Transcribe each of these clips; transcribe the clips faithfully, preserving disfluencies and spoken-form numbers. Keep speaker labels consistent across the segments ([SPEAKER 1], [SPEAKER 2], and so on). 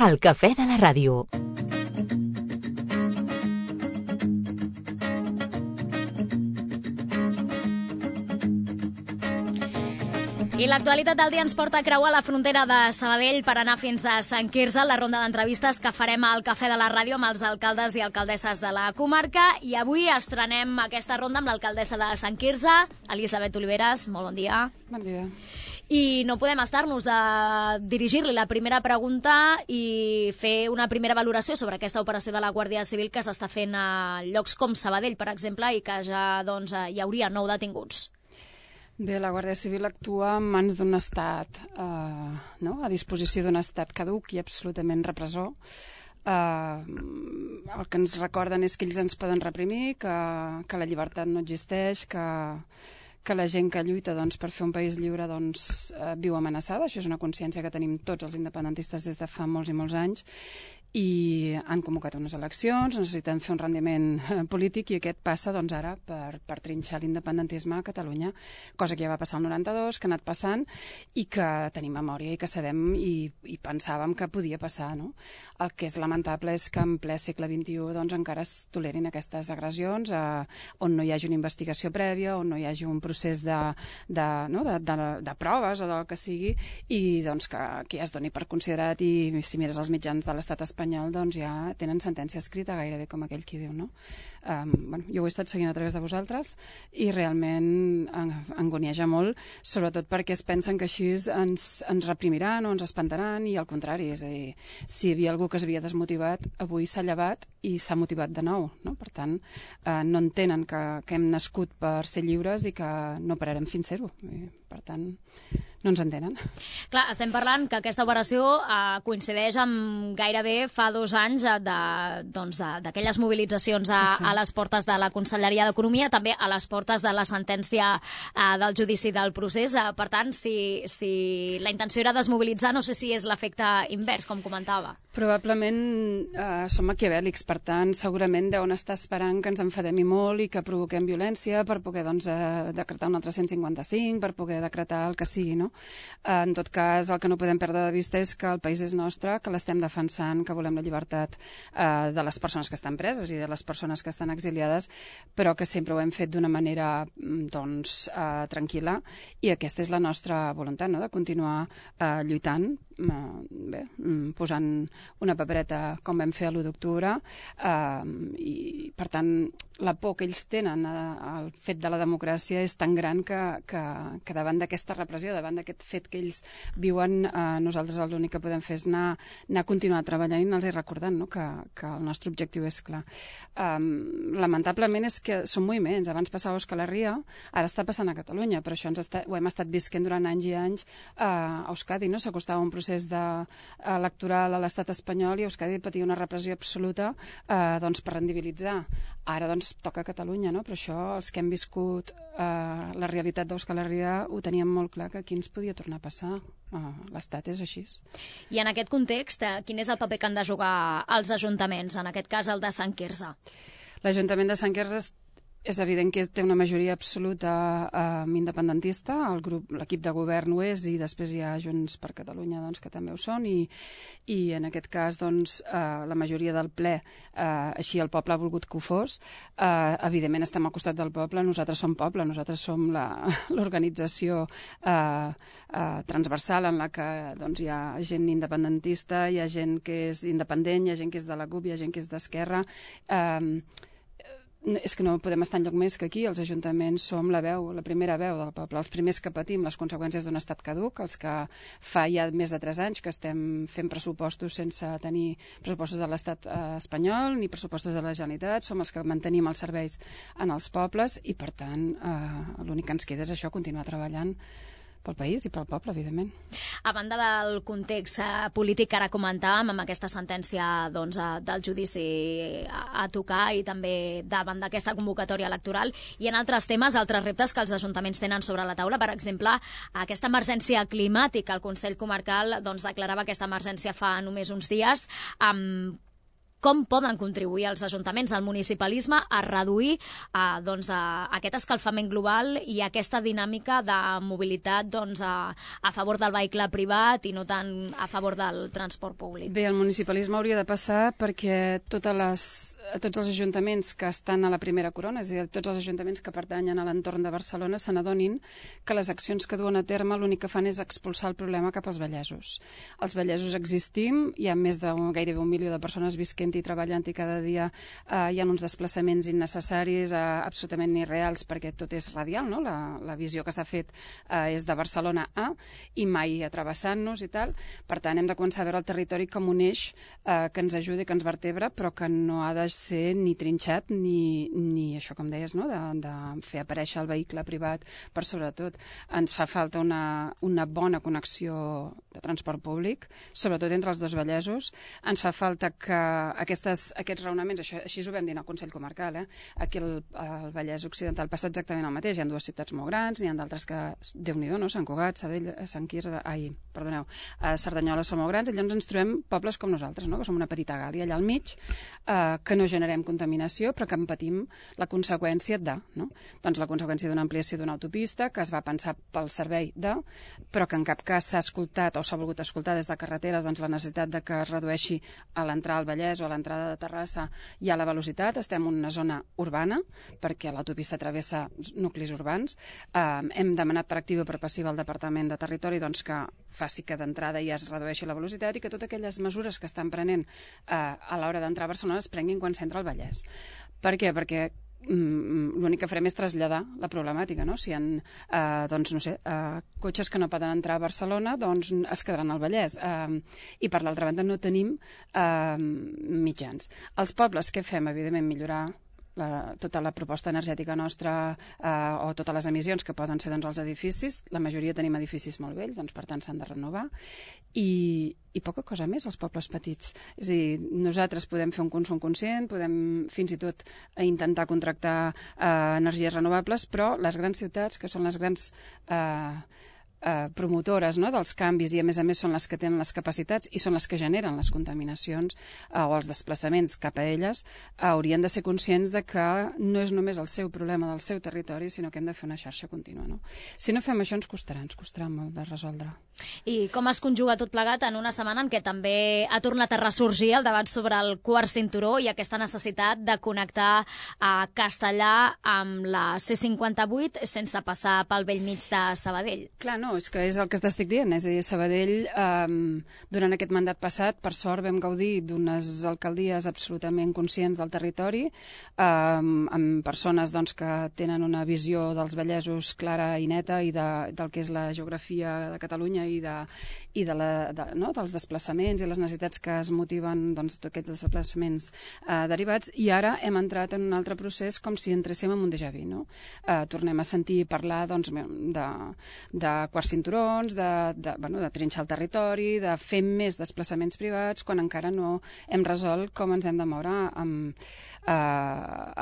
[SPEAKER 1] El cafè de la ràdio.
[SPEAKER 2] I l'actualitat del dia ens porta a creuar la frontera de Sabadell per anar fins a Sant Quirze, la ronda d'entrevistes que farem al Cafè de la Ràdio amb els alcaldes i alcaldesses de la comarca. I avui estrenem aquesta ronda amb l'alcaldessa de Sant Quirze, Elisabet Oliveras. Molt bon dia.
[SPEAKER 3] Bon dia.
[SPEAKER 2] I no podem estar-nos de dirigir-li la primera pregunta i fer una primera valoració sobre aquesta operació de la Guàrdia Civil que s'està fent a llocs com Sabadell, per exemple, i que ja doncs, hi hauria nou detinguts.
[SPEAKER 3] Bé, la Guàrdia Civil actua en mans d'un estat, eh, no? a disposició d'un estat caduc i absolutament repressor. Eh, el que ens recorden és que ells ens poden reprimir, que, que la llibertat no existeix, que, que la gent que lluita doncs, per fer un país lliure doncs, eh, viu amenaçada. Això és una consciència que tenim tots els independentistes des de fa molts i molts anys. I han convocat unes eleccions, necessiten fer un rendiment polític i aquest passa doncs, ara per, per trinxar l'independentisme a Catalunya, cosa que ja va passar el noranta-dos, que ha anat passant i que tenim memòria i que sabem i, i pensàvem que podia passar. No? El que és lamentable és que en ple segle vint-i-u doncs, encara es tolerin aquestes agressions eh, on no hi hagi una investigació prèvia, on no hi hagi un procés de, de, no? de, de, de proves o del que sigui i doncs, que, que ja es doni per considerat i si mires els mitjans de l'estat espanyol espanyol doncs ja tenen sentència escrita gairebé com aquell qui diu, no? Um, bueno, jo ho he estat seguint a través de vosaltres i realment angonieja molt, sobretot perquè es pensen que així ens, ens reprimiran o ens espantaran i al contrari, és a dir, si hi havia algú que s'havia desmotivat, avui s'ha llevat i s'ha motivat de nou, no? Per tant, eh, no entenen que, que hem nascut per ser lliures i que no pararem fins ser-ho. Per tant, no ens entenen.
[SPEAKER 2] Clar, estem parlant que aquesta operació eh, coincideix amb gairebé fa dos anys eh, d'aquelles doncs, mobilitzacions a, sí, sí. a les portes de la Conselleria d'Economia, també a les portes de la sentència eh, del judici del procés. Eh, per tant, si, si la intenció era desmobilitzar, no sé si és l'efecte invers, com comentava.
[SPEAKER 3] Probablement eh, som maquiavèlics, per tant, segurament deuen estar esperant que ens enfadem i molt i que provoquem violència per poder doncs, eh, decretar un altre cent cinquanta-cinc, per poder decretar el que sigui, no? Eh, en tot cas, el que no podem perdre de vista és que el país és nostre, que l'estem defensant, que volem la llibertat eh, de les persones que estan preses i de les persones que estan exiliades, però que sempre ho hem fet d'una manera doncs, eh, tranquil·la i aquesta és la nostra voluntat, no? De continuar eh, lluitant, eh, bé, posant una papereta com vam fer a l'u d'octubre eh, i per tant la por que ells tenen al fet de la democràcia és tan gran que, que, que davant d'aquesta repressió, davant d'aquest fet que ells viuen, eh, nosaltres l'únic que podem fer és anar, anar a continuar treballant i anar-los recordant, no? que, que el nostre objectiu és clar. Um, lamentablement és que són moviments, abans passava a Euskal Herria, ara està passant a Catalunya, però això ens està, ho hem estat visquent durant anys i anys uh, a Euskadi, no? S'acostava un procés de, uh, electoral a l'estat espanyol i Euskadi patia una repressió absoluta uh, doncs, per rendibilitzar. Ara doncs toca a Catalunya, no? Però això, els que hem viscut uh, la realitat d'Euskal Herria, ho teníem molt clar que aquí ens podia tornar a passar. Uh, L'estat és així.
[SPEAKER 2] I en aquest context, eh, quin és el paper que han de jugar els ajuntaments, en aquest cas el de Sant Quirze?
[SPEAKER 3] L'Ajuntament de Sant Quirze és evident que té una majoria absoluta eh, independentista, el grup, l'equip de govern ho és i després hi ha Junts per Catalunya doncs, que també ho són i, i en aquest cas doncs, eh, la majoria del ple eh, així el poble ha volgut que ho fos. Eh, evidentment estem al costat del poble, nosaltres som poble, nosaltres som l'organització eh, eh, transversal en la que doncs, hi ha gent independentista, hi ha gent que és independent, hi ha gent que és de la CUP, hi ha gent que és d'Esquerra. Eh, és que no podem estar enlloc més que aquí, els ajuntaments som la veu, la primera veu del poble, els primers que patim les conseqüències d'un estat caduc, els que fa ja més de tres anys que estem fent pressupostos sense tenir pressupostos de l'estat eh, espanyol ni pressupostos de la Generalitat, som els que mantenim els serveis en els pobles i per tant eh, l'únic que ens queda és això, continuar treballant pel país i pel poble, evidentment.
[SPEAKER 2] A banda del context eh, polític que ara comentàvem, amb aquesta sentència doncs, eh, del judici a, a tocar i també davant d'aquesta convocatòria electoral, i en altres temes, altres reptes que els ajuntaments tenen sobre la taula, per exemple, aquesta emergència climàtica. El Consell Comarcal doncs, declarava aquesta emergència fa només uns dies, amb com poden contribuir els ajuntaments, el municipalisme, a reduir eh, doncs, a aquest escalfament global i aquesta dinàmica de mobilitat doncs, a, a favor del vehicle privat i no tant a favor del transport públic.
[SPEAKER 3] Bé, el municipalisme hauria de passar perquè totes les, tots els ajuntaments que estan a la primera corona, és a dir, tots els ajuntaments que pertanyen a l'entorn de Barcelona, se n'adonin que les accions que duen a terme l'únic que fan és expulsar el problema cap als vallesos. Els vallesos existim, hi ha més de gairebé un milió de persones visquent i treballant i cada dia eh, hi ha uns desplaçaments innecessaris, eh, absolutament irreals, perquè tot és radial, no? La, la visió que s'ha fet eh, és de Barcelona a i mai travessant-nos i tal. Per tant, hem de començar a veure el territori com un eix eh, que ens ajudi, que ens vertebra, però que no ha de ser ni trinxat ni, ni això, com deies, no? de, de fer aparèixer el vehicle privat per sobretot. Ens fa falta una, una bona connexió de transport públic, sobretot entre els dos vallesos. Ens fa falta que aquestes, aquests raonaments, això, així ho vam dir al Consell Comarcal, eh? Aquí el, el Vallès Occidental passa exactament el mateix. Hi ha dues ciutats molt grans, n'hi ha d'altres que, Déu-n'hi-do, no? Sant Cugat, Sabadell, Sant Quirze, ai, perdoneu, a Cerdanyola són molt grans, i llavors ens trobem pobles com nosaltres, no? Que som una petita Gàlia allà al mig, eh, que no generem contaminació, però que en patim la conseqüència de, no? Doncs la conseqüència d'una ampliació d'una autopista que es va pensar pel servei de, però que en cap cas s'ha escoltat o s'ha volgut escoltar des de carreteres doncs, la necessitat de que es redueixi a l'entrada al Vallès o a l'entrada de Terrassa ja la velocitat. Estem en una zona urbana, perquè l'autopista travessa nuclis urbans. Eh, hem demanat per activa o per passiva al Departament de Territori doncs, que faci que d'entrada ja es redueixi la velocitat i que totes aquelles mesures que estan prenent eh, a l'hora d'entrar a Barcelona es prenguin quan s'entra al Vallès. Per què? Perquè l'únic que farem és traslladar la problemàtica, no? Si hi ha eh, doncs, no sé, eh, cotxes que no poden entrar a Barcelona, doncs es quedaran al Vallès. Eh, I per l'altra banda no tenim eh, mitjans. Els pobles, què fem? Evidentment, millorar La, tota la proposta energètica nostra eh, o totes les emissions que poden ser doncs, els edificis. La majoria tenim edificis molt vells, doncs, per tant s'han de renovar. I, i poca cosa més als pobles petits. És a dir, nosaltres podem fer un consum conscient, podem fins i tot intentar contractar eh, energies renovables, però les grans ciutats, que són les grans eh, Eh, promotores, no?, dels canvis i a més a més són les que tenen les capacitats i són les que generen les contaminacions eh, o els desplaçaments cap a elles, eh, haurien de ser conscients de que no és només el seu problema del seu territori, sinó que hem de fer una xarxa contínua, no? Si no fem això ens costarà, ens costarà molt de resoldre.
[SPEAKER 2] I com es conjuga tot plegat en una setmana en què també ha tornat a ressorgir el debat sobre el quart cinturó i aquesta necessitat de connectar a Castellà amb la C cinquanta-vuit sense passar pel vell mig de Sabadell?
[SPEAKER 3] Clar, no, és que és el que t'estic dient, és a dir, Sabadell, eh, durant aquest mandat passat, per sort vam gaudir d'unes alcaldies absolutament conscients del territori, eh, amb persones doncs, que tenen una visió dels vallesos clara i neta i de, del que és la geografia de Catalunya i, de, i de la, de, no, dels desplaçaments i les necessitats que es motiven doncs, tots aquests desplaçaments eh, derivats, i ara hem entrat en un altre procés com si entréssim en un déjà vu, no? Eh, tornem a sentir parlar doncs, de, de quarts cinturons, de, de, bueno, de trinxar el territori, de fer més desplaçaments privats, quan encara no hem resolt com ens hem de moure amb, eh,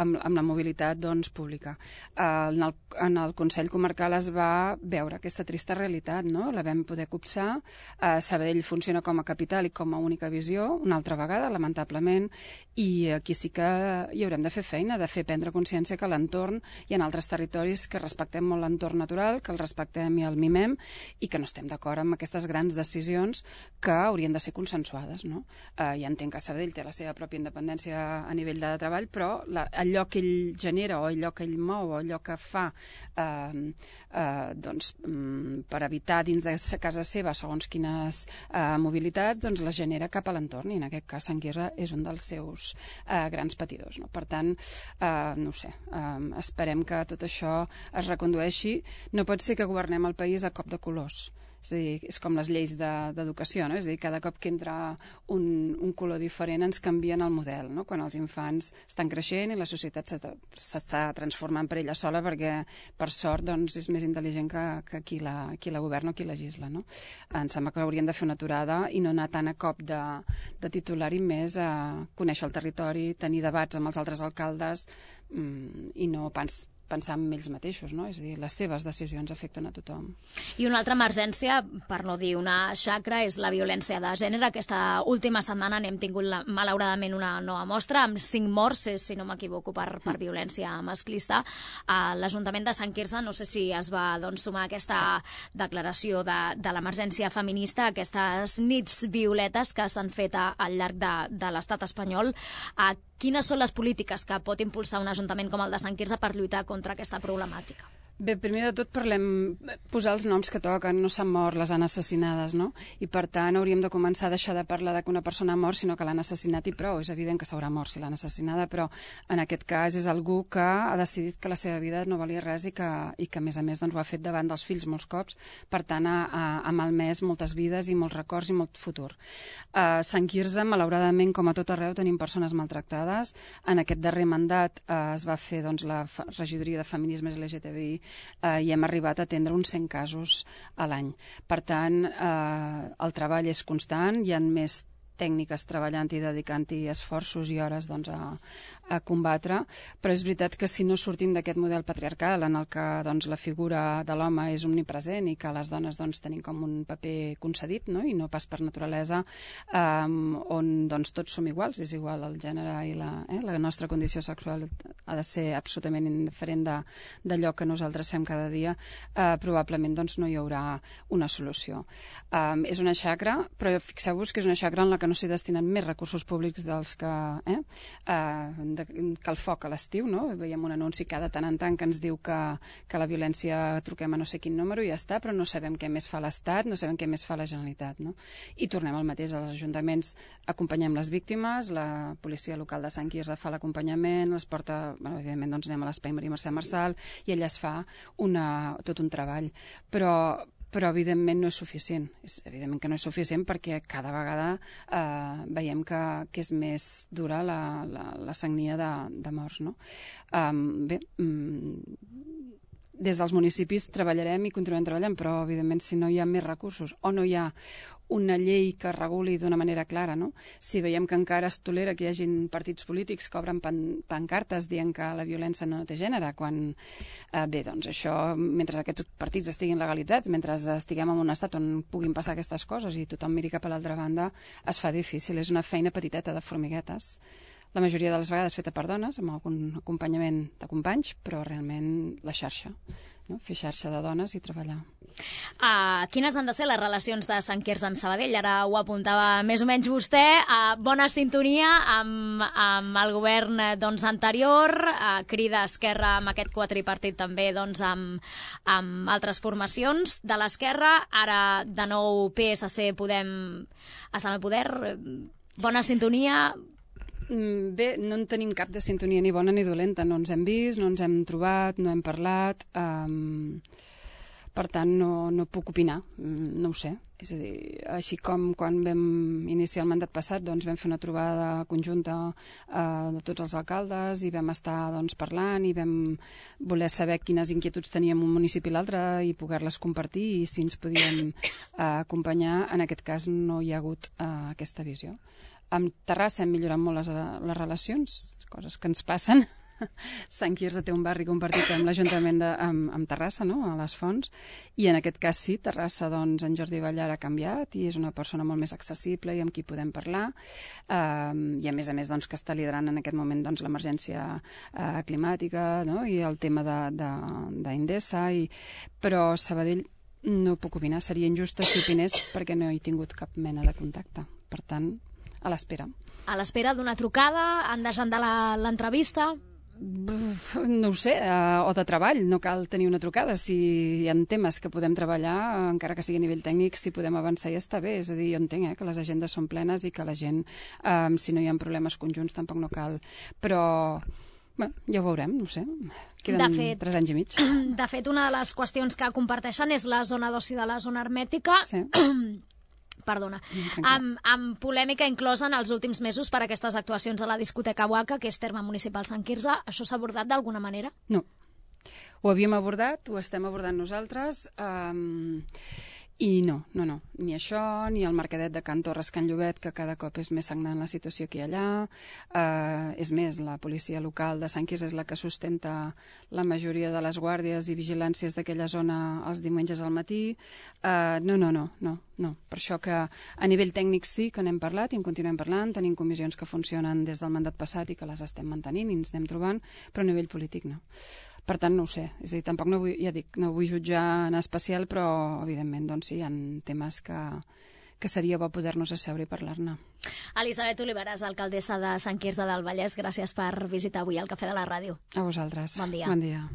[SPEAKER 3] amb, amb la mobilitat doncs, pública. Eh, en, el, en el Consell Comarcal es va veure aquesta trista realitat, no? La vam poder copsar. Eh, Sabadell funciona com a capital i com a única visió, una altra vegada, lamentablement, i aquí sí que hi haurem de fer feina, de fer prendre consciència que l'entorn, hi ha altres territoris que respectem molt l'entorn natural, que el respectem i el mimem, i que no estem d'acord amb aquestes grans decisions que haurien de ser consensuades, no? Eh, ja entenc que Sabadell té la seva pròpia independència a nivell de treball, però la, allò que ell genera o allò que ell mou o allò que fa eh, eh, doncs, per evitar dins de casa seva segons quines eh, mobilitats, doncs les genera cap a l'entorn, i en aquest cas Sant Quirze és un dels seus eh, grans patidors, no? Per tant, eh, no ho sé, eh, esperem que tot això es recondueixi. No pot ser que governem el país a cop de colors. És a dir, és com les lleis d'educació, no? És a dir, cada cop que entra un, un color diferent ens canvien el model, no? Quan els infants estan creixent i la societat s'està transformant per ella sola, perquè per sort doncs, és més intel·ligent que, que qui, la, qui la governa o qui legisla, no? Em sembla que haurien de fer una aturada i no anar tant a cop de, de titular i més a conèixer el territori, tenir debats amb els altres alcaldes, mm, i no pas pensar en ells mateixos, no? És a dir, les seves decisions afecten a tothom.
[SPEAKER 2] I una altra emergència, per no dir una xacra, és la violència de gènere. Aquesta última setmana n'hem tingut la, malauradament una nova mostra, amb cinc morts, si no m'equivoco, per, per violència masclista. A l'Ajuntament de Sant Quirze, no sé si es va doncs, sumar aquesta sí. declaració de, de l'emergència feminista, aquestes nits violetes que s'han fet a, al llarg de, de l'estat espanyol. A quines són les polítiques que pot impulsar un ajuntament com el de Sant Quirze per lluitar contra aquesta problemàtica?
[SPEAKER 3] Bé, primer de tot parlem, posar els noms que toquen, no s'han mort, les han assassinades, no? I per tant hauríem de començar a deixar de parlar de que una persona ha mort, sinó que l'han assassinat i prou. És evident que s'haurà mort si l'han assassinada, però en aquest cas és algú que ha decidit que la seva vida no valia res i que, i que a més a més doncs, ho ha fet davant dels fills molts cops, per tant ha, ha, ha malmès moltes vides i molts records i molt futur. A Sant Quirze, malauradament, com a tot arreu, tenim persones maltractades. En aquest darrer mandat eh, es va fer doncs, la regidoria de feminismes L G T B I Uh, i hem arribat a atendre uns cent casos a l'any. Per tant, uh, el treball és constant, hi ha més tècniques treballant i dedicant-hi esforços i hores doncs, a, a combatre, però és veritat que si no sortim d'aquest model patriarcal en el que doncs, la figura de l'home és omnipresent i que les dones doncs, tenim com un paper concedit, no? I no pas per naturalesa, um, on doncs, tots som iguals, és igual el gènere i la, eh, la nostra condició sexual ha de ser absolutament indiferent de, d'allò que nosaltres fem cada dia, uh, probablement doncs, no hi haurà una solució. Um, és una xacra, però fixeu-vos que és una xacra en la que no s'hi destinen més recursos públics dels que, eh, uh, de, que el foc a l'estiu, no? Veiem un anunci cada tant en tant que ens diu que, que la violència truquem a no sé quin número i ja està, però no sabem què més fa l'Estat, no sabem què més fa la Generalitat, no? I tornem al mateix, als ajuntaments acompanyem les víctimes, la policia local de Sant Quirze fa l'acompanyament, les porta, bueno, evidentment doncs anem a l'Espai Maria Mercè Marçal i ella es fa una, tot un treball, però però evidentment no és suficient. És evidentment que no és suficient perquè cada vegada eh, veiem que, que és més dura la, la, la sagnia de, de morts. No? Um, bé, um, des dels municipis treballarem i continuem treballant, però evidentment si no hi ha més recursos o no hi ha una llei que reguli d'una manera clara, no? Si veiem que encara es tolera que hi hagin partits polítics que obren pan, pancartes dient que la violència no té gènere, quan, eh, bé, doncs això, mentre aquests partits estiguin legalitzats, mentre estiguem en un estat on puguin passar aquestes coses i tothom miri cap a l'altra banda, es fa difícil. És una feina petiteta de formiguetes, la majoria de les vegades feta per dones, amb algun acompanyament de companys, però realment la xarxa, no? Fer xarxa de dones i treballar.
[SPEAKER 2] Uh, quines han de ser les relacions de Sant Quirze amb Sabadell? Ara ho apuntava més o menys vostè. Uh, bona sintonia amb, amb el govern doncs, anterior, uh, Crida Esquerra amb aquest quadripartit també doncs, amb, amb altres formacions de l'esquerra. Ara de nou P S C Podem estar al poder. Bona sintonia.
[SPEAKER 3] Bé, no en tenim cap de sintonia ni bona ni dolenta. No ens hem vist, no ens hem trobat, no hem parlat. Um, per tant, no, no puc opinar. No ho sé. És a dir, així com quan vam iniciar el mandat passat, doncs vam fer una trobada conjunta uh, de tots els alcaldes i vam estar doncs, parlant i vam voler saber quines inquietuds teníem un municipi i l'altre i poder-les compartir i si ens podíem uh, acompanyar. En aquest cas no hi ha hagut uh, aquesta visió. Amb Terrassa hem millorat molt les, les relacions, coses que ens passen. Sant Quirze té un barri compartit amb l'Ajuntament de, amb, amb Terrassa, no? A les Fonts, i en aquest cas sí, Terrassa, doncs, en Jordi Ballar ha canviat i és una persona molt més accessible i amb qui podem parlar, uh, i a més a més doncs, que està liderant en aquest moment doncs, l'emergència uh, climàtica, no? I el tema d'Indesa, i... però Sabadell no puc opinar, seria injusta si opinés perquè no he tingut cap mena de contacte, per tant a l'espera.
[SPEAKER 2] A l'espera d'una trucada, han d'agendar l'entrevista?
[SPEAKER 3] No ho sé, uh, o de treball, no cal tenir una trucada. Si hi ha temes que podem treballar, encara que sigui a nivell tècnic, si podem avançar ja està bé. És a dir, jo entenc eh, que les agendes són plenes i que la gent, um, si no hi ha problemes conjunts, tampoc no cal. Però bé, ja ho veurem, no ho sé. Queden de fet, tres anys i mig.
[SPEAKER 2] De fet, una de les qüestions que comparteixen és la zona d'oci de la zona hermètica.
[SPEAKER 3] Sí.
[SPEAKER 2] Perdona, amb, amb polèmica inclosa en els últims mesos per aquestes actuacions a la discoteca Huaca, que és terme municipal Sant Quirze. Això s'ha abordat d'alguna manera?
[SPEAKER 3] No. Ho havíem abordat, ho estem abordant nosaltres, um, I no, no, no, ni això, ni el mercadet de Can Torres, Can Llobet, que cada cop és més sagnant la situació que hi ha allà. Uh, és més, la policia local de Sant Quirze és la que sustenta la majoria de les guàrdies i vigilàncies d'aquella zona els diumenges al matí. Uh, no, no, no, no, no. Per això que a nivell tècnic sí que n'hem parlat i en continuem parlant, tenim comissions que funcionen des del mandat passat i que les estem mantenint i ens anem trobant, però a nivell polític no. Per tant, no ho sé. És a dir, tampoc no vull, ja dic, no vull jutjar en especial, però, evidentment, doncs sí, hi ha temes que, que seria bo poder-nos asseure i parlar-ne.
[SPEAKER 2] Elisabet Oliveras, alcaldessa de Sant Quirze del Vallès, gràcies per visitar avui el Cafè de la Ràdio.
[SPEAKER 3] A vosaltres.
[SPEAKER 2] Bon dia.
[SPEAKER 3] Bon dia.